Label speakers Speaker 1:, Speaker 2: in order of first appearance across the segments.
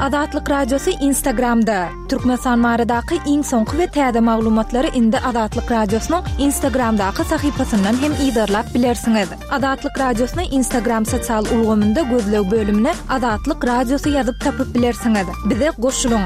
Speaker 1: Azatlyk Radiosy Instagramda! Türkmenistan baradaky iň soňky we täze maglumatlary indi Azatlyk Radiosynyň Instagramdaky sahypasyndan hem yzarlap bilersiňiz. Azatlyk Radiosyny Instagram sosial ulgamynda gözleg bölümine Azatlyk Radiosy ýazyp tapyp bilersiňiz. Bize goşulyň!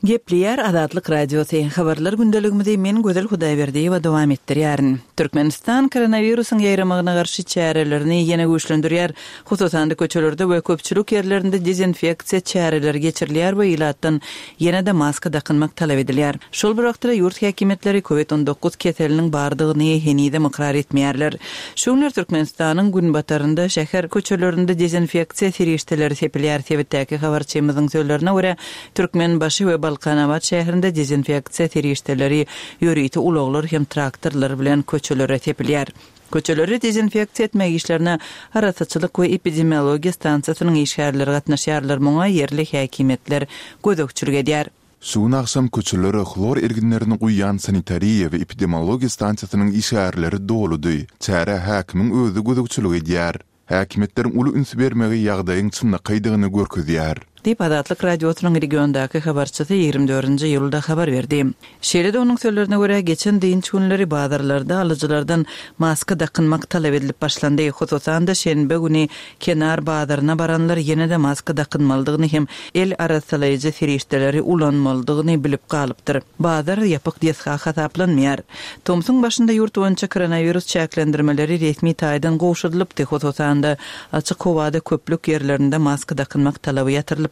Speaker 2: Gepleýär Azatlyk Radiosy, Habarlar gündeligimizi men Gözel Hudaýberdiýewa dowam etdirýärin. Türkmenistan koronawirusyň ýaýramagyna garşy çärelerini ýene güýçlendirýär. Hususan-da, köçelerde we köpçülik ýerlerinde dezinfeksiýa çäreleri geçirilýär we ilatdan ýene-de maska dakynmak talap edilýär. Şol bir wagtda-da ýurt häkimiýetleri Covid 19 keseliniň bardygyny henizem ykrar etmeýärler. Şu günler Türkmenistanyň günbatarynda şäher köçelerinde dezinfeksiýa serişdeleri sepilýär. Sebitdäki habarçymyzyň sözlerine görä, Türkmenbaşy we Balkanabat şäherinde dezinfeksiýa serişdeleri ýörite ulaglar hem traktorlar bilen köçelere sepilýär. Köçeleri dezinfeksiýa etmek işlerine arassaçylyk we epidemiologiýa stansiýasynyň işgärleri gatnaşýarlar, muňa ýerli häkimiýetler gözegçilik edýär.
Speaker 3: Şu gün agşam köçelere hlor erginlerini guýýan sanitariýa we epidemiologiýa stansiýasynyň işgärleri doludy. Çärä häkimiň özi gözegçilik edýär. Häkimiýetleriň uly üns bermegi ýagdaýyň çynlakaýdygyny görkezýär.
Speaker 2: Diýip, Azatlyk Radiosynyň regiondaky habarçysy 24-nji iýulda habar berdi. Şeýle-de onuň sözlerine görä, geçen dynç günleri bazarlarda alyjylardan maska dakynmak talap edilip başlandy. Hususan-da, şenbe güni Kenar bazaryna baranlar ýene-de maska dakynmalydygyny hem el arassalaýjy serişdeleri ulanmalydygyny bilip galypdyr. Bazar ýapyk desga hasaplanmaýar. Tomsuň başynda ýurt boýunça koronawirus çäklendirmeleri resmi taýdan gowşadylypdy, hususan-da, açyk howada köplük ýerlerinde maska dakynmak talaby ýatyrylypdy.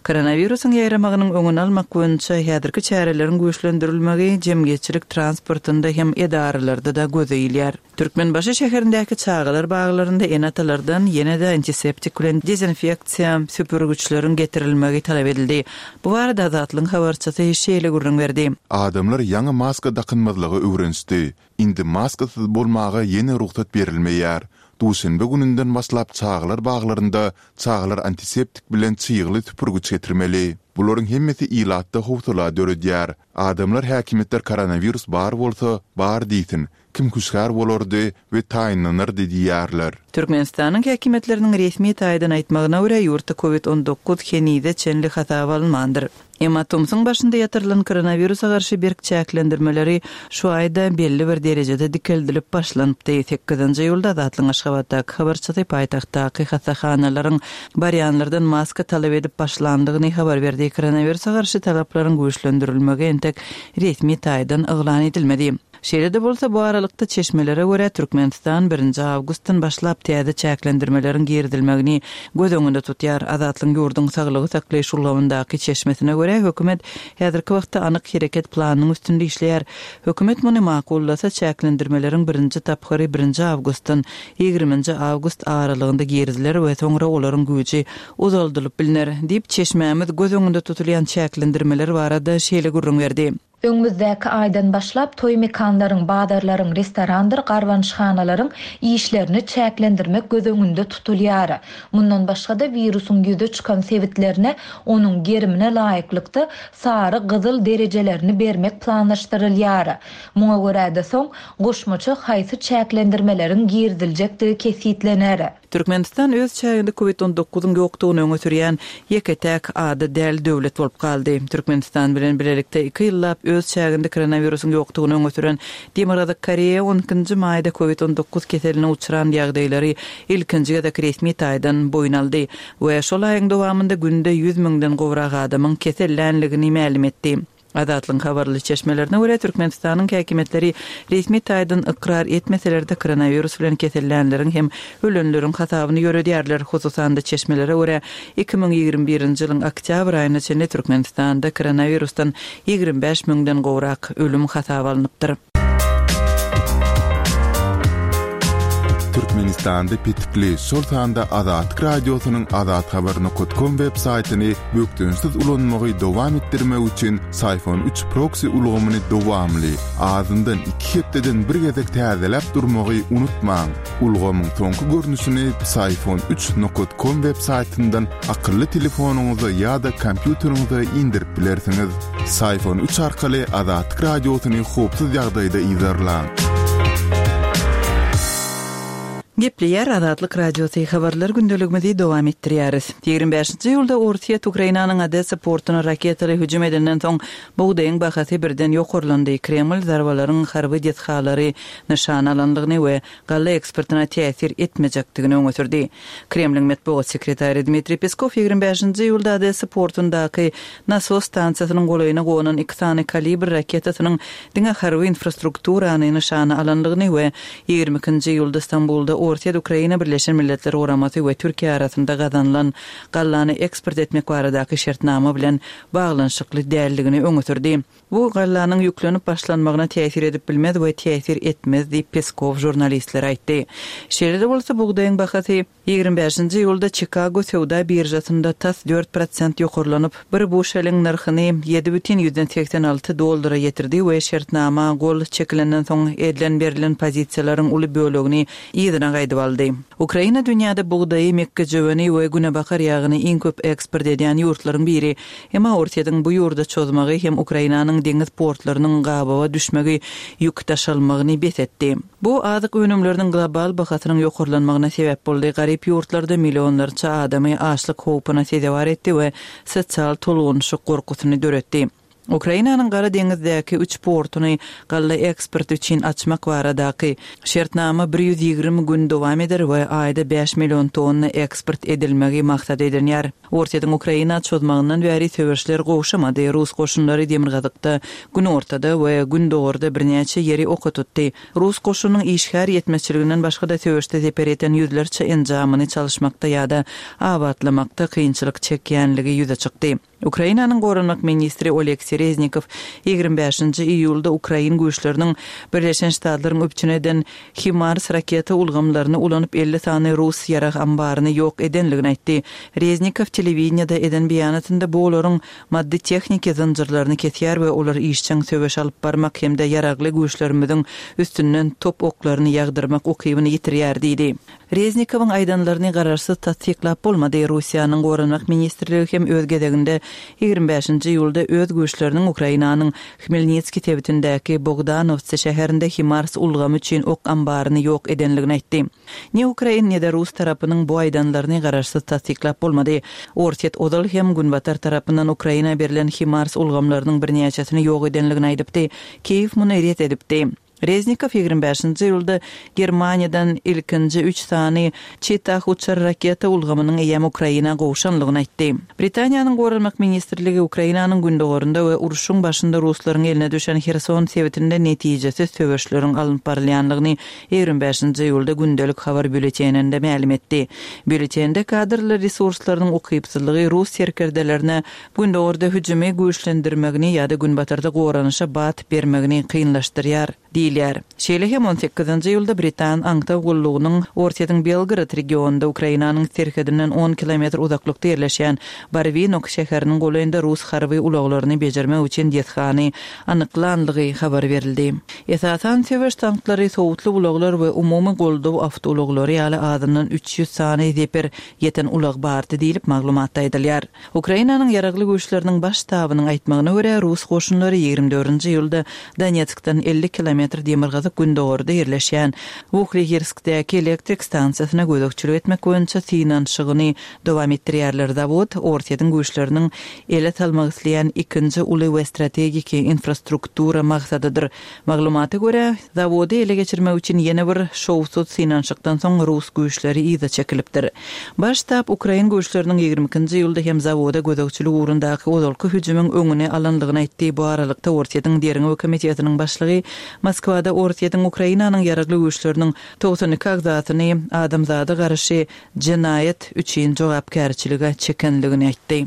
Speaker 2: Koronawirusyň ýaýramagynyň öňüni almak boýunça häzirki çäreleriň güýçlendirilmegi jemgyýetçilik transportynda hem edaralarda-da göze ilýär. Türkmenbaşy şäherindäki çagalar baglarynda ene-atalardan ýene-de antiseptik bilen dezinfeksiýa süpürgiçleriň getirilmegi talap edildi. Bu barada Azatlygyň habarçysy şeýle gürrüň berdi.
Speaker 3: Adamlar ýaňy maska dakynmazlyga öwrenişdi. Indi maskasyz bolmaga ýene rugsat berilmeýär. Duşenbe gününden başlap çagalar baglarynda çagalar antiseptik bilen çygly süpürgiç getirmeli. Bularyň hemmesi ilatda howsala döredýär. Adamlar häkimiýetler koronawirus bar bolsa, bar diýsin, Kim hüşgär bolardy we taýynlanardy diýýärler.
Speaker 2: Türkmenistanyň häkimiýetleriniň resmi taýdan aýtmagyna görä, ýurtda Covid 19 henize çenli hasaba alynmandyr. Emma tomsuň başynda ýatyrylan koronawirusa garşy berk çäklendirmeleri şu aýda belli bir derejede dikeldilip başlanypdy. Sekizinji iýulda Azatlygyň Aşgabatdaky habarçysy paýtagtdaky hassahanalaryň barýanlardan maska talap edip başlandygyny habar berdi. Koronawirusa garşy talaplaryň güýçlendirilmegi entek resmi taýdan yglan edilmedi. Şeýle-de bolsa, bu aralykda, çeşmelere görä, Türkmenistan birinji awgustdan başlap täze çäklendirmeleriň girizilmegini göz öňünde tutýar. Azatlygyň ýurduň saglygy saklaýyş ulgamyndaky çeşmesine görä, hökümet häzirki wagtda anyk hereket planynyň üstünde işleýär. Hökümet muny makullasa, çäklendirmeleriň birinji tapgyry birinji awgustdan ýigriminji awgust aralygynda giriziler we soňra olaryň güýji uzaldylyp bilner, diýip, çeşmämiz göz öňünde tutulýan çäklendirmeler barada şeýle gürrüň berdi.
Speaker 4: Öňümizdäki aýdan başlap toý mekanlaryň, bazarlaryň, restorandyr garbanyşhanalaryň işlerini çäklendirmek göz öňünde tutulýar. Mundan başga-da, wirusyň ýüze çykan sebitlerine onuň gerimine laýyklykda sary, gyzyl derejelerini bermek planlaşdyrylýar. Muňa görä-de soň goşmaça haýsy çäklendirmeleriň giriziljekdigi kesgitlener.
Speaker 2: Türkmenistan öz çäginde Covid 19 yň ýokdugyny öňe sürýän ýeke-täk ada däl döwlet bolup galdy. Türkmenistan bilen bilelikde iki ýyllap öz çäginde koronawirusyň ýokdugyny öňe süren Demirgazyk Koreýa on ikinji maýda Covid 19 keseline uçran ýagdaýlary ilkinji gezek resmi taýdan boýun aldy we şol aýyň dowamynda günde 100 müňden gowrak adamyň kesellänligini mälim etdi. Azatlygyň habarly çeşmelerine görä, Türkmenistanyň häkimiýetleri resmi taýdan ykrar etmeseler-de, koronawirus bilen kesellänleriň hem ölenleriň hasabyny ýöredýärler. Hususan-da, çeşmelere görä, 2021-nji ýylyň oktýabr aýyna çenli Türkmenistanda koronawirusdan 25 müňden gowrak ölüm hasaba alnypdyr.
Speaker 3: Türkmenistanda petikli, şol sanda Azatlyk Radiosynyň azathabar nokat kom web saýtyny bökdençsiz ulanmagy dowam etdirmek üçin Syfon üç proksi ulgamyny dowamly, azyndan iki hepdeden bir gezek täzeläp durmagy unutmaň. Ulgamyň soňky görnüşini Psiphon üç nokat kom web saýtyndan akylly telefonyňyza ýa-da kompýuteriňize indirip bilersiňiz. Syfon üç arkaly Azatlyk Radiosyny howpsuz ýagdaýda yzarlaň.
Speaker 2: Gepleýär Azatlyk Radiosy, Habarlar gündeligimizi dowam etdirýäris. 25-nji iýulda Orsýet Ukrainanyň Odessa portuna raketaly hüjüm edenden soň, bugdaýyň bahasy birden ýokarlandy. Kreml zarbalaryň harby desgalary nyşana alandygyny we galla eksportyna täsir etmejekdigini öňe sürdi. Kremliň metbugat sekretary Dmitriý Peskow 25-nji iýulda Odessa portundaky nasos stansiýasynyň golaýyna gonan iki sany Kalibr raketasynyň diňe harby infrastrukturany nyşana alandygyny we 22-nji iýulda Stambulda Orsýet, Ukraina, Birleşen Milletler Guramasy we Türkiýe arasynda gazanylan gallany eksport etmek baradaky şertnama bilen baglanyşykly däldigini öňe sürdi. Bu gallanyň ýüklenip başlanmagyna täsir edip bilmez we täsir etmez diýip, Peskow žurnalistlere aýtdy. Şeýle-de bolsa, bugdaýyň bahasy 25-nji iýulda Çikago söwda biržasynda tas 4% ýokarlanyp, bir buşeliň nyrhyny 7,86 dollara ýetirdi we şertnama gol çekilenden soň edilen berlen pozisiýalaryň uly bölegini yzyna gaýdyp aldy. Ukraina dünýäde bugdaýy, mekgejöweni we günebakar ýagyny iň köp eksport edýän ýurtlaryň biri. Emma Orsýetiň bu ýurda çozmagy hem Ukrainanyň deňiz portlarynyň gabawa düşmegi ýük daşalmagyny bes etdi. Bu azyk önümleriniň global bahasynyň ýokarlanmagyna sebäp boldy, garyp ýurtlarda millionlarça adamy açlyk howpuna sezewar etdi we sosial tolgunyşyk gorkusyny döretdi. Ukrainanyň Gara deňizdäki üç portuny galla eksporty üçin açmak baradaky şertnama 120 gün dowam eder we aýda bäş million tonna eksport edilmegi maksat edinýär. Orsýetiň Ukraina çozmagyndan bäri söweşler gowşamady, rus goşunlary demirgazykda, günortada we gündogarda birnäçe ýeri oka tutdy. Rus goşunynyň işgär ýetmezçiliginden başga-da söweşde zeper ýeten ýüzlerçe enjamyny çalyşmakda ýa-da abatlamakda kynçylyk çekýänligi ýüze çykdy. Ukrainanyň goranmak ministri Oleksiý Reznikow 25-nji iýulda ukrain güýçleriniň Birleşen Ştatlaryň üpjün eden HIMARS raketa ulgamlaryny ulanyp 50 sany rus ýarag ambaryny ýok edenligini aýtdy. Reznikow telewideniýede eden beýanatynda bu olaryň maddy-tehniki zynjyrlaryny kesýär we olar işjeň söweş alyp barmak hem-de ýaragly güýçlerimiziň üstünden top oklaryny ýagdyrmak ukybyny ýitirýär diýdi. Reznikowyň aýdanlaryny garaşsyz tassyklap bolmady. Russiýanyň Goranmak ministrligi hem öz gezeginde 25-nji iýulda öz güýçleriniň Ukrainanyň Hmelnitskiý sebitindäki Bogdanowtsi şäherinde HIMARS ulgamy üçin ok ambaryny ýok edenligini aýtdy. Ne ukrain, ne-de rus tarapynyň bu aýdanlaryny garaşsyz tassyklap bolmady. Orsýet ozal hem Günbatar tarapyndan Ukraina berlen HIMARS ulgamlarynyň birnäçesini ýok edenligini aýdypdy. Kiýew muny ret edipdi. Reznikow 25-nji iýulda Germaniýadan ilkinji üç sany Cheetah uçar raketa ulgamynyň eýýäm Ukraina gowşanlygyny aýtdy. Britaniýanyň Goranmak ministrligi Ukrainanyň gündogarynda we urşuň başynda ruslaryň eline düşen Herson sebitinde netijesiz söweşleriň alnyp barylýanlygyny 25-nji iýulda gündelik habar býulleteninde mälim etdi. Býulletende kadrlar resurslarynyň ukypsyzlygy rus serkerdelerine Gündogarda hüjümi güýçlendirmegini ýa-da günbatarda goranyşa bat bermegini kynlaşdyrýar, diýilýär. Şeýle hem on sekizinji iýulda britan aňtaw gullugynyň Orsýetiň Belgorod regionynda Ukrainanyň serhedinden on kilometr uzaklykda ýerleşýän Barwinok şäheriniň golaýynda rus harby ulaglaryny bejermek üçin desgany anyklanlygy habar berildi. Esasan söweş tanklary, sowutly ulaglar we umumy goldaw awtoulaglary ýaly azyndan 300 sany zeper ýeten ulag bardy diýlip, maglumatda aýdylýar. Ukrainanyň Ýaragly Güýçleriniň Baş ştabynyň aýtmagyna görä, rus goşunlary 24-nji iýulda Donetskden 50 kilometr demirgazyk-gündogarda ýerleşýän Wuhlehirskdäki elektrik stansiýasyna gözegçilik etmek boýunça synanyşygyny dowam etdirýärler. Zawod Orsýetiň güýçleriniň ele salmak isleýän ikinji uly we strategiki infrastruktura maksadydyr. Maglumata görä, zawody ele geçirmek üçin ýene bir şowsuz synanyşykdan soň rus güýçleri yza çekilipdir. Baş ştab ukrain güýçleriniň 22-nji iýulda hem zawoda gözegçilik ugrundaky ozalky hüjümiň öňüni alandygyny aýtdy. Bu aralykda Orsýetiň Derňew komitetiniň başlygy Moskwada Orsýetiň Ukrainanyň ýaragly güýçleriniň 92 agzasyny adamzada garşy jenaýat üçin jogapkärçilige çekenligini aýtdy.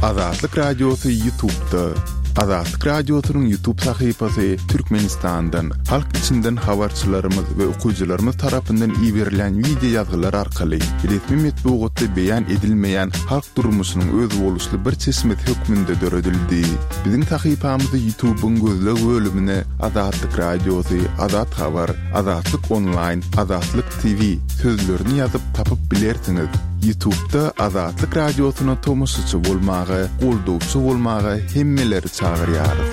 Speaker 3: Azatlyk Radiosy YouTube'da. Azatlyk Radiosynyň YouTube sahypasy Türkmenistandan, halk içinden habarçylarymyz we okyjylarymyz tarapyndan iberilen wideo ýazgylar arkaly resmi metbugatda beýan edilmeýän halk durmuşynyň özboluşly bir çeşmesi hökmünde döredildi. Biziň sahypamyzy YouTube'yň gözleg bölümine Azatlyk Radiosy, Azat Habar, Azatlyk Onlaýn, Azatlyk TV sözlerini ýazyp tapyp bilersiňiz. Ýutubda Azatlyk Radiosyna tomaşaçy bolmaga, goldawçy bolmaga hemmeleri çagyrýarys.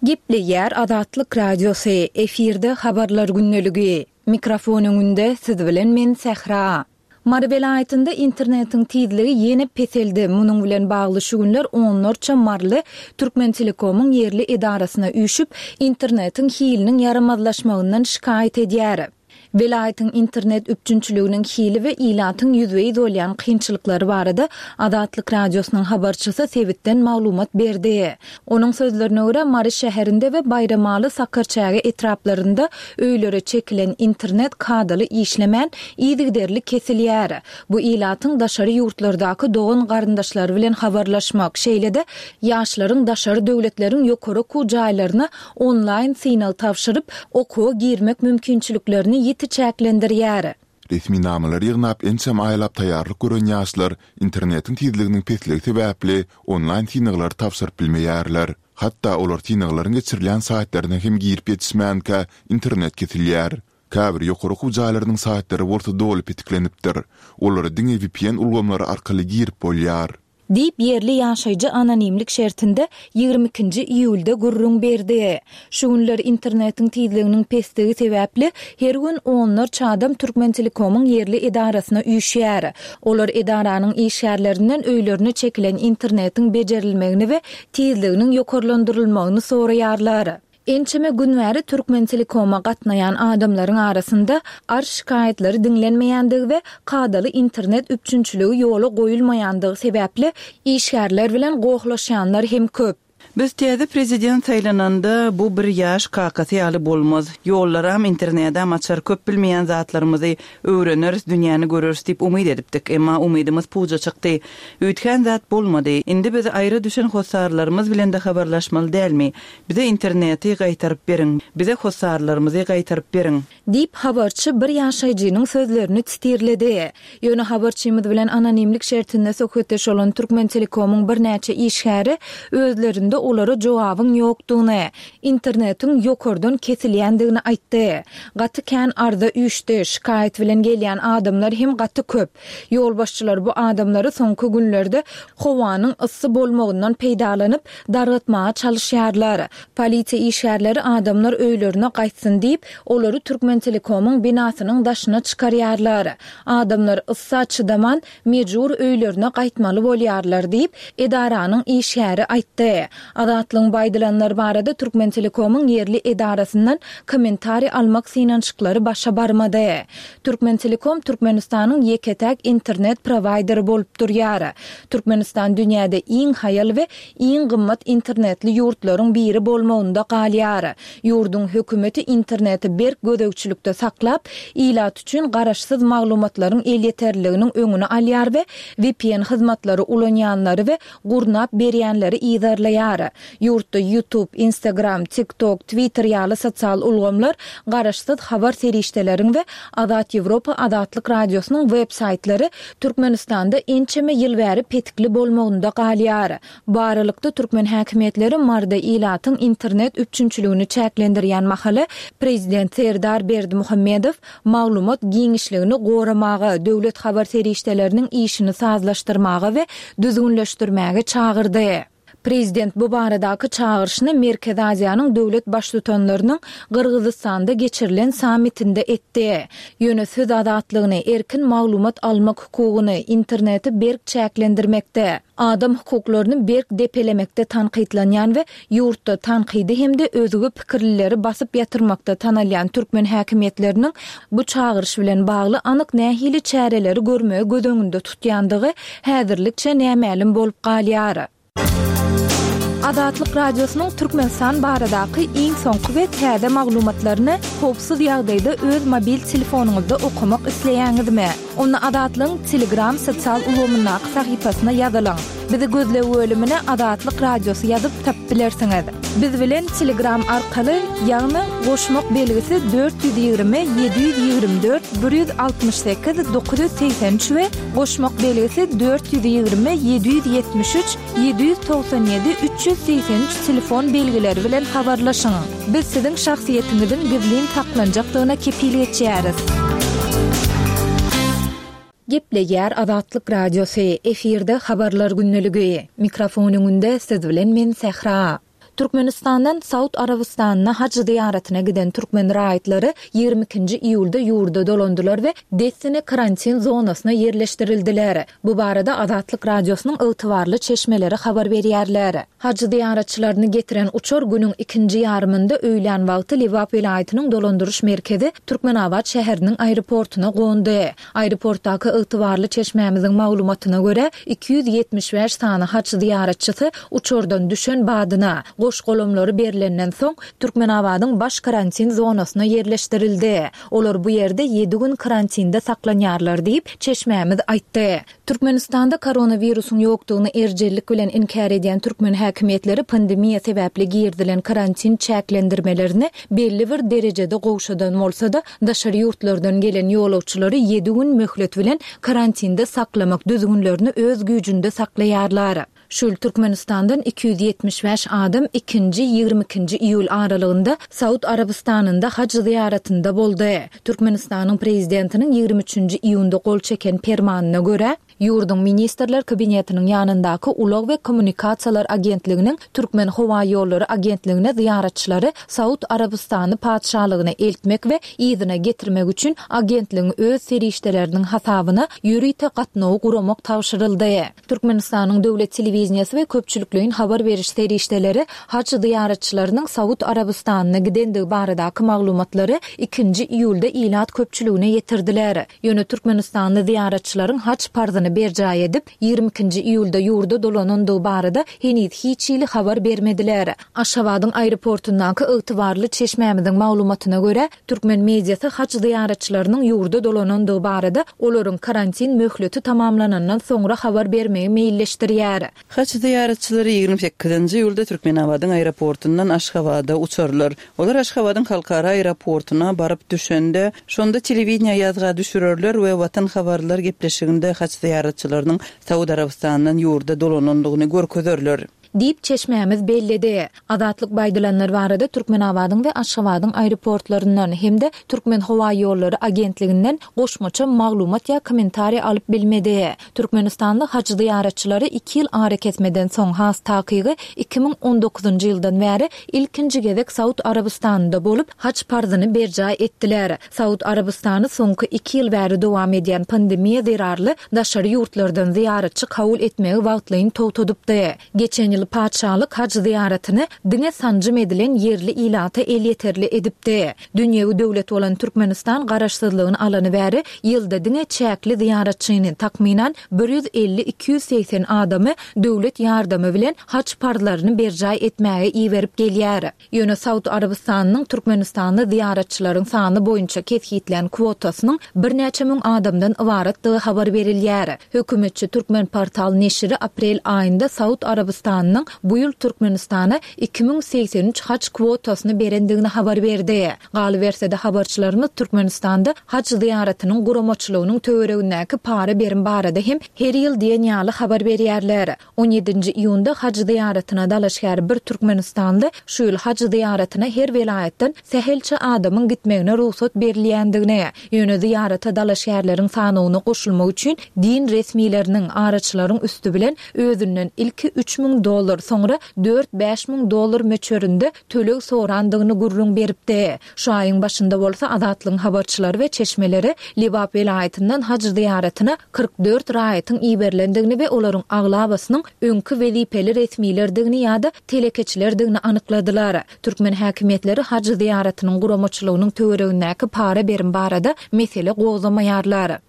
Speaker 1: Gepleýär Azatlyk Radiosy, efirde Habarlar gündeligi. Mikrofon öňünde siz bilen men Sähra. Mary welaýatynda internetiň tizligi ýene peseldi. Munuň bilen bagly şu günler onlarça maryly Türkmentelekomyň ýerli edarasyna üýşüp, internetiň hiliniň ýaramazlaşmagyndan şikaýat edýär. Welaýatyň internet üpjünçiliginiň hili we ilatyň ýüzbe-ýüz bolýan kynçylyklary barada Azatlyk Radiosynyň habarçysy sebitden maglumat berdi. Onuň sözlerine görä, Mary şäherinde we Baýramaly, Sakarçäge etraplarynda öýlere çekilen internet kadaly işlemän, yzygiderli kesilýär. Bu ilatyň daşary ýurtlardaky dogan-garyndaşlary bilen habarlaşmak, şeýle-de ýaşlaryň daşary döwletleriň ýokary okuw jaýlaryna onlaýn synag tabşyryp, okuwa girmek mümkinçiliklerini ýiti çäklendirýär.
Speaker 3: Resminamalary ýygnap ençeme aýlap taýýarlyk gören ýaşlar internetiň tizliginiň pesligi sebäpli onlaýn synaglary tabşyryp bilmeýärler. Hatda olar synaglaryň geçirilýän saýtlaryna hem girip ýetişmänkä internet kesilýär. Käbir ýokary okuw jaýlarynyň saýtlary bolsa doly petiklenipdir. Olara diňe vpn ulgamlary arkaly girip bolýar.
Speaker 1: Diýip, ýerli ýaşaýjy anonimlik şertinde 22 ikinji iýulda gürrüň berdi. Şu günler internetiň tizliginiň pesdigi sebäpli, her gün onlarça adam Türkmentelekomyň ýerli edarasyna üýşýär. Olar edaranyň işgärlerinden öýlerine çekilen internetiň bejerilmegini we tizliginiň ýokarlandyrylmagyny soraýarlar. Ençeme gün bäri Türkmentelekoma gatnaýan adamlaryň arasynda arz-şikaýatlary diňlenmeýändigi we kadaly internet üpjünçiligi ýola goýulmaýandygy sebäpli işgärler bilen gohlaşýanlar hem köp.
Speaker 2: Biz täze prezident saýlananda bu bir ýaş kakasy ýaly bolmaz, ýollaram, internedam açar, köp bilmeýän zatlarymyzy öwreneris, dünýäni göreris diýip umyt edipdik. Emma umydymyz puja çykdy. Üýtgän zat bolmady. Indi biz aýra düşen hossarlarymyz bilen-de habarlaşmaly dälmi? Bize interneti gaýtaryp beriň! Bize hossarlarymyzy gaýtaryp beriň!
Speaker 1: Diýip, habarçy bir ýaşaýjynyň sözlerini sitirledi. Ýöne habarçymyz bilen anonimlik şertinde söhbetdeş bolan Türkmentelekomyň birnäçe işgäri özlerinde olara jogabyň ýokdugyny, internetiň ýokardan kesilýändigini aýtdy. Gaty kän arza üýşdi, şikaýat bilen gelýän adamlar hem gaty köp. Ýolbaşçylar bu adamlary soňky günlerde howanyň yssy bolmagyndan peýdalanyp, dargatmaga çalyşýarlar. Polisiýa işgärleri adamlar öýlerine gaýtsyn diýip, olary Türkmentelekomyň binasynyň daşyna çykarýarlar. Adamlar yssa çydaman, mejbur öýlerine gaýtmaly bolýarlar diýip, edaranyň işgäri aýtdy. Azatlygyň bu aýdylanlar barada Türkmentelekomyň ýerli edarasyndan kommentariý almak synanyşyklary başa barmady. Türkmentelekom Türkmenistanyň ýeke-täk internet prowaýderi bolup durýar. Türkmenistan dünýäde iň haýal we iň gymmat internetli ýurtlaryň biri bolmagynda galýar. Ýurduň hökümeti interneti berk gözegçilikde saklap, ilat üçin garaşsyz maglumatlaryň elýeterliliginiň öňüni alýar we vpn hyzmatlary ulanýanlary we gurnap berýänleri yzarlaýar. Ýurtda YouTube, Instagram, TikTok, Twitter ýaly sosial ulgamlar garaşsyz habar serişdeleriň we Azat Ýewropa Azatlyk Radiosynyň web saýtlary Türkmenistanda ençeme ýyl bäri petikli bolmagynda galýar. Bu aralykda, türkmen häkimiýetleri Maryda ilatyň internet üpjünçiligini çäklendirýän mahaly, prezident Serdar Berdimuhamedow maglumat giňişligini goramaga, döwlet habar serişdeleriniň işini sazlaşdyrmaga we düzgünleşdirmäge çagyrdy. Prezident bu baradaky çagyryşyny Merkezi Aziýanyň döwlet Baştutanlarynyň Gyrgyzystanda geçirilen sammitinde etdi. Ýöne söz azatlygyny, erkin maglumat almak hukugyny, interneti berk çäklendirmekde, adam hukuklaryny berk depelemekde tankytlanýan we ýurtda tankydy hem-de özge pikirlileri basyp ýatyrmakda tanalýan türkmen häkimiýetleriniň bu çagyryş bilen bagly anyk nähili çäreleri görmegi göz öňünde tutýandygy häzirlikçe nämälim bolup galýar. Azatlyk Radiosynyň Türkmenistan baradaky iň soňky we täze maglumatlaryny howpsuz ýagdaýda öz mobil telefonyňyzda okamak isleýäňizmi? Onda Azatlygyň Telegram sosial ulgamyndaky sahypasyna ýazylyň. Bizi gözleg bölümine Azatlyk Radiosy ýazyp tapyp bilersiňiz. Biz bilen Telegram arkaly, ýagny goşmak belgisi 420 724 168 983 we goşmak belgisi 420 773 797 383 telefon belgileri bilen habarlaşyň. Biz siziň şahsyýetiňiziň gizlin saklanjakdygyna kepil geçýäris. Gepleýär Azatlyk Radiosy, efirde Habarlar gündeligi. Mikrofon öňünde siz bilen men Sähra.
Speaker 4: Türkmenistandan Saud Arabystanyna haj zyýaratyna giden türkmen raýatlary 22-nji iýulda ýurda dolandylar we dessine karantin zonasyna ýerleşdirildiler. Bu barada Azatlyk Radiosynyň ygtybarly çeşmeleri habar berýärler. Haj zyýaratçylaryny getiren uçar günüň ikinji ýarymynda öýlän wagty Lebap welaýatynyň dolandyryş merkezi Türkmenabat şäheriniň aeroportuna gondy. Aeroportdaky ygtybarly çeşmämiziň maglumatyna görä, 275 sany haj zyýaratçysy uçardan düşen badyna, goş-golamlary berlenden soň, Türkmenabadyň baş karantin zonasyna ýerleşdirildi. Olar bu ýerde ýedi gün karantinde saklanýarlar diýip, çeşmämiz aýtdy. Türkmenistanda koronawirusyň ýokdugyny erjellik bilen inkär edýän türkmen häkimiýetleri pandemiýa sebäpli girizilen karantin çäklendirmelerini belli bir derejede gowşadan bolsa-da, daşary ýurtlardan gelen ýolagçylary ýedi gün möhlet bilen karantinde saklamak düzgünlerini öz güýjünde saklaýarlar. Şu ýyl Türkmenistandan 275 adam ikinji, 22-nji iýul aralygynda Saud Arabystanynda haj zyýaratynda boldy. Türkmenistanyň Prezidentiniň 23-nji iýunda gol çeken Permanyna görä, ýurduň Ministrler Kabinetiniň ýanyndaky Ulag we kommunikasiýalar agentliginiň Türkmenhowaýollary agentligine zyýaratçylary Saud Arabystany Patyşalygyna eltmek we yzyna getirmek üçin agentligiň öz serişdeleriniň hasabyna ýörite gatnawy guramak tabşyryldy. Türkmenistanyň döwlet telewideniýesi we köpçülikleýin habar beriş serişdeleri haj zyýaratçylarynyň Saud Arabystanyna gidendigi baradaky maglumatlary ikinji iýulda ilat köpçüligine ýetirdiler. Ýöne türkmenistanly zyýaratçylaryň haj parzyny berjaý edip, 22-nji iýulda ýurda dolanandygy barada heniz hiç hili habar bermediler. Aşgabadyň aeroportundaky ygtybarly çeşmämiziň maglumatyna görä, türkmen mediasy haj zyýaratçylarynyň ýurda dolanandygy barada olaryň karantin möhleti tamamlanandan soňra habar bermegi meýilleşdirýär.
Speaker 2: Haj zyýaratçylary 28-nji iýulda Türkmenabadyň aeroportundan Aşgabada uçarlar. Olar Aşgabadyň halkara aeroportuna baryp düşende, şonda telewideniýä ýazga düşürerler we Watan habarlar gepleşiginde haj zyýaratçylarynyň Saud Arabystanyndan ýurda dolanandygyny görkezerler.
Speaker 4: Diýip, çeşmämiz belledi. Azatlyk bu aýdylanlar barada Türkmenabadyň we Aşgabadyň aeroportlaryndan hem-de Türkmenhowaýollary agentliginden goşmaça maglumat ýa kommentariý alyp bilmedi. Türkmenistanly haj zyýaratçylary iki ýyl arakesmeden soň, has takygy, 2019-njy ýyldan bäri ilkinji gezek Saud Arabystanynda bolup, haj parzyny berjaý etdiler. Saud Arabystany soňky iki ýyl bäri dowam edýän pandemiýa zerarly daşary ýurtlardan zyýaratçy kabul etmegi wagtlaýyn togtadypdy. Geçen ýyl patyşalyk haj zyýaratyny diňe sanjym edilen ýerli ilata elýeterli edipdi. Dünýewi döwlet bolan Türkmenistan garaşsyzlygyny alany bäri ýylda diňe çäkli zyýaratçyny, takmynan, 150-280 adamy döwlet ýardamy bilen haj parzlaryny berjaý etmäge iberip gelýär. Ýöne Saud Arabystanynyň türkmenistanly zyýaratçylaryň sany boýunça kesgitlän kwotasynyň birnäçe müň adamdan ybaratdygy habar berilýär. Hökümetçi Türkmenportal neşiri aprel aýynda Saud Arabystanynyň bu ýyl Türkmenistana 2083 haj kwotasyny berendigini habar berdi. Galyberse-de, habarçylarymyz Türkmenistanda haj zyýaratynyň guramaçylygynyň töweregindäki para-berim barada hem her ýyl diýen ýaly habar berýärler. On ýedinji iýunda haj zyýaratyna dalaşgär bir türkmenistanly şu ýyl haj zyýaratyna her welaýatdan sähelçe adamyň gitmegine rugsat berilýändigini, ýöne zyýarata dalaşgärleriň sanawyna goşulmak üçin din resmileriniň, araçylaryň üsti bilen özünden ilki 3000 dollar, soňra dört-bäş müň dollar möçberinde töleg sorandygyny gürrüň beripdi. Şu aýyň başynda bolsa Azatlygyň habarçylary we çeşmeleri Lebap welaýatyndan haj zyýaratyna 44 raýatyň iberilendigini we olaryň aglabasynyň öňki wezipeli resmilerdigini ýa-da telekeçilerdigini anykladylar. Türkmen häkimiýetleri haj zyýaratynyň guramaçylygynyň töweregindäki para-berim barada mesele gozgamaýarlar.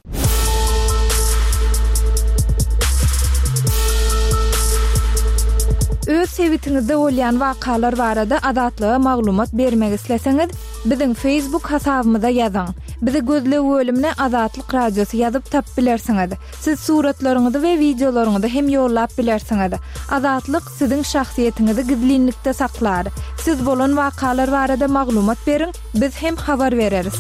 Speaker 1: Öz sebitiňizde bolýan wakalar barada Azatlyga maglumat bermek isleseňiz, biziň Facebook hasabymyza ýazyň. Bizi gözleg bölümine Azatlyk Radiosy ýazyp tapyp bilersiňiz. Siz suratlaryňyzy we wideolaryňyzy hem ýollap bilersiňiz. Azatlyk siziň şahsyýetiňizi gizlinlikde saklar. Siz bolan wakalar barada maglumat beriň, biz hem habar bereris.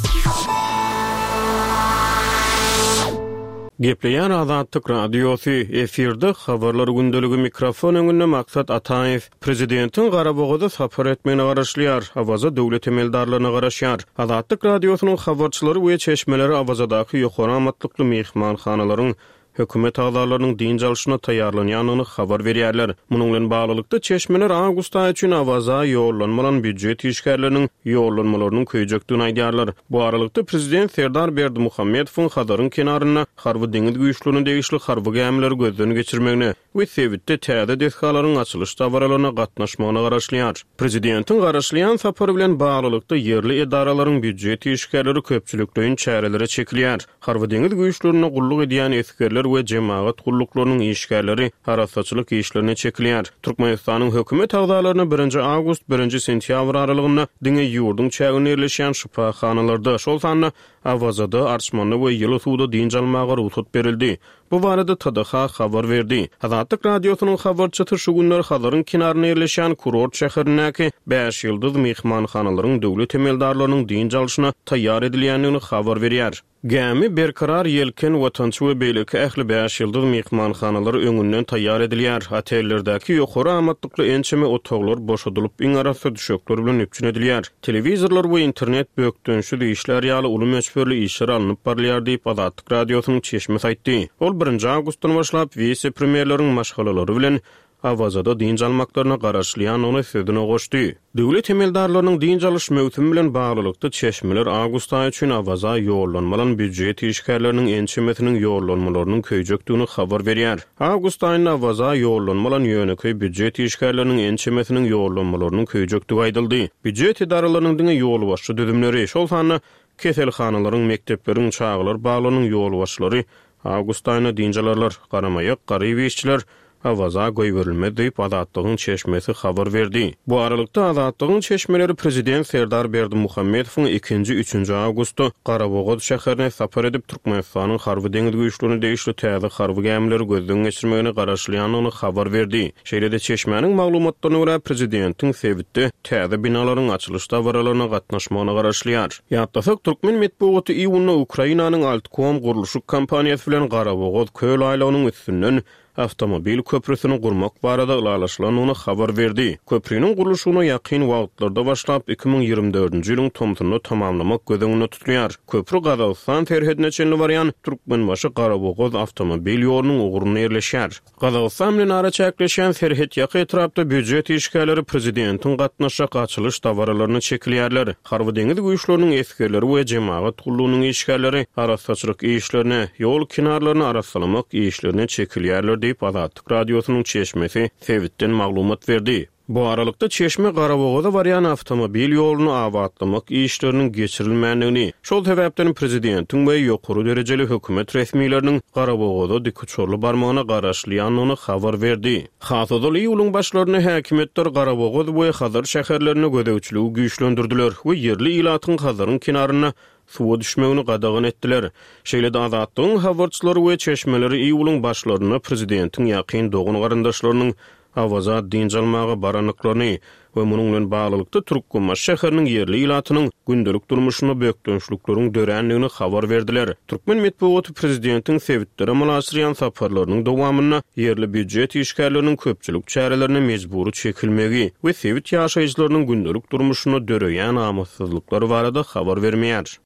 Speaker 5: Gepleýär Azatlyk Radiosy, efirde Habarlar gündeligi mikrofon öňünde Maksat Ataýew. Prezidentiň Garabogaza sapar etmegine garaşylýar, Awaza döwlet emeldarlaryna garaşýar. Azatlyk Radiosynyň habarçylary we çeşmeleri Awazadaky ýokary amatlykly myhmanhanalaryň. Hökümet agzalarynyň dynç alşyna taýýarlanýandygyny habar berýärler. Munuň bilen baglylykda, çeşmeler awgust aýy üçin Awaza ýollanma alan býujet işgärleriniň ýollanmalarynyň köýjekdigini aýdýarlar. Bu aralykda, prezident Serdar Berdimuhamedowyň Hazaryň kenarynda Harby-deňiz güýçlerine degişli harby gämileri gözden geçirmegine we sebitde täze desgalaryň açylyş dabaralaryna gatnaşmagyna garaşylýar. Prezidentiň garaşylýan sapary bilen baglylykda, ýerli edaralaryň býujet işgärleri köpçülikleýin çärelere çekilýär. Harby-deňiz güýçlerinde gulluk edýän esgerler we jemagat gulluklarynyň işgärleri arassaçylyk işlerine çekilýär. Türkmenistanyň hökümet agzalaryna birinji awgust, birinji sentýabr aralygynda diňe ýurduň çäginde ýerleşýän şypahanalarda, şol sanda Awazada, Arçmanda we ýyly suwda dynç almaga rugsat berildi. Bu barada TDH habar berdi. Azatlyk Radiosynyň habarçysy şu günler Hazaryň kenarynda ýerleşýän kurort şäherindäki bäş ýyldyz myhmanhanalaryň döwlet emeldarlarynyň dynç alşyna taýýar edilýändigini habar berýär. Gämi, Berkarar, Ýelken, Watançy we beýleki ähli bäş ýyldyz myhmanhanalar öňünden taýýar edilýär. Otellerdäki ýokary amatlykly ençeme otaglar boşadylyp, iň arassa düşekler bilen üpjün edilýär. Telewizorlar we internet bökdençsiz işlär ýaly uly möçberli işler alnyp barylýar diýip, Azatlyk Radiosynyň çeşmesi aýtdy. Ol birinji awgustdan başlap wise-premýerleriň maşgalalary bilen Awazada dynç almaklaryna garaşylýandygyny sözüne goşdy. Döwlet emeldarlarynyň dynç alyş möwsümi bilen baglylykda çeşmeler awgust aýy üçin Awaza ýollanma alan býujet işgärleriniň ençemesiniň ýollanmalarynyň köýjekdigini habar berýär. Awgust aýynda Awaza ýollanma alan ýönekeý býujet işgärleriniň ençemesiniň ýollanmalarynyň köýjekdigi aýdyldy. Býujet edaralarynyň diňe ýolbaşçy düzümleri, şol sanda keselhanalaryň, mekdepleriň, çagalar baglarynyň ýolbaşçylary awgust aýynda dynç alarlar. Garamaýak, garyp işçiler Awaza goýberilmez diýip, Azatlygyň çeşmesi habar berdi. Bu aralykda, Azatlygyň çeşmeleri prezident Serdar Berdimuhamedowyň ikinji, üçünji awgustda Garabogaz şäherine sapar edip, Türkmenistanyň Harby-deňiz güýçlerine degişli täze harby gämileri gözden geçirmegine garaşylýandygyny habar berdi. Şeýle-de, çeşmäniň maglumatlaryna görä, prezidentiň sebitde täze binalaryň açylyş dabaralaryna gatnaşmagyna garaşylýar. Ýatlasak, türkmen metbugaty iýunda Ukrainanyň Altkom gurluşyk kompaniýasy bilen Garabogaz köl aýlagynyň üstünden awtomobil köprüsini gurmak barada ylalaşylandygyny habar berdi. Köpriniň gurluşygyna ýakyn wagtlarda başlap, 2024-nji ýylyň tomsunda tamamlamak göz öňünde tutulýar. Köpri Gazagystan serhedine çenli barýan Türkmenbaşy-Garabogaz awtomobil ýolunyň ugrunda ýerleşýär. Gazagystan bilen araçäkleşýän serhetýaka etrapda býujet işgärleri prezidentiň gatnaşjak açylyş dabaralaryna çekilýärler. Harby-deňiz güýçleriniň esgerleri we jemagat gullugynyň işgärleri arassaçylyk işlerine, ýol kenarlaryny arassalamak işlerine çekilýärler diýip, Azatlyk Radiosynyň çeşmesi sebitden maglumat berdi. Bu aralykda, çeşme Garabogaza barýan awtomobil ýoluny abatlamak işleriniň geçirilmändigini, şol sebäpden prezidentiň we ýokary derejeli hökümet resmileriniň Garabogaza dikuçarly barmagyna garaşylýandygyny habar berdi. Has ozal iýulyň başlarynda häkimiýetler Garabogaz we Hazar şäherlerinde gözegçiligi güýçlendirdiler we ýerli ilatyň Hazaryň kenarynda suwa düşmegini gadagan etdiler. Şeýle-de Azatlygyň habarçylary we çeşmeleri iýulyň başlarynda prezidentiň ýakyn dogan-garyndaşlarynyň Awaza dynç almaga barandyklaryny we munuň bilen baglylykda Türkmenbaşy şäheriniň ýerli ilatynyň gündelik durmuşynda bökdençlikleriň dörändigini habar berdiler. Türkmen metbugaty prezidentiň sebitlere amala aşyrýan saparlarynyň dowamynda ýerli býujet işgärleriniň köpçülik çärelerine mejbury çekilmegi we sebit ýaşaýjylarynyň gündelik durmuşynda döreýän amatsyzlyklar barada habar bermeýär.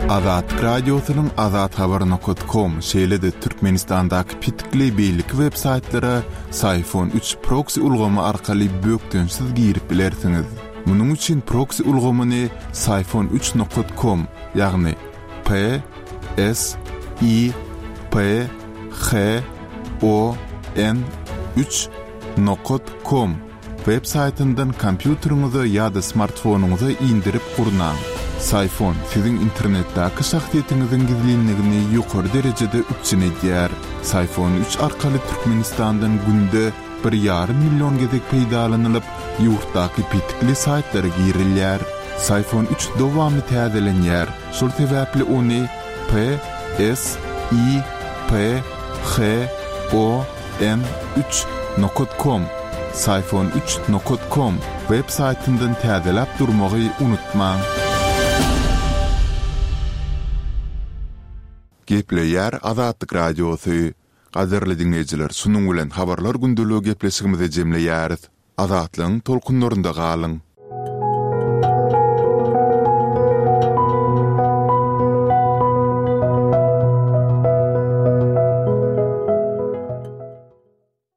Speaker 3: Azatlyk Radiosynyň Azathabar nokat kom, şeýle-de Türkmenistandaky petikli beýleki web saýtlara Syfon üç proksi ulgamy arkaly bökdençsiz girip bilersiňiz. Munuň üçin proksi ulgamyny Syfon üç nokat kom, ýagny P S I P H O N üç nokat kom Web saýtyndan kompýuteriňize ýa-da smartfonyňyza indirip gurnaň. Syfon siziň internetdäki şahsyýetiňiziň gizlinligini ýokary derejede üpjün edýär. Syfon üç arkaly Türkmenistandan günde bir ýarym million gezek peýdalanylyp, ýurtdaky petikli saýtlara girilýär. Syfon üç dowamly täzelenýär, şol sebäpli ony P S I P H O N üç nokat kom Syfon üç nokat kom web saýtyndan täzeläp durmagy unutmaň. Gepleýär Azatlyk Radiosy. Gadyrly diňleýjiler şunuň bilen Habarlar gündeligi gepleşigimizi jemleýäris. Azatlygyň tolkunlarynda galyň!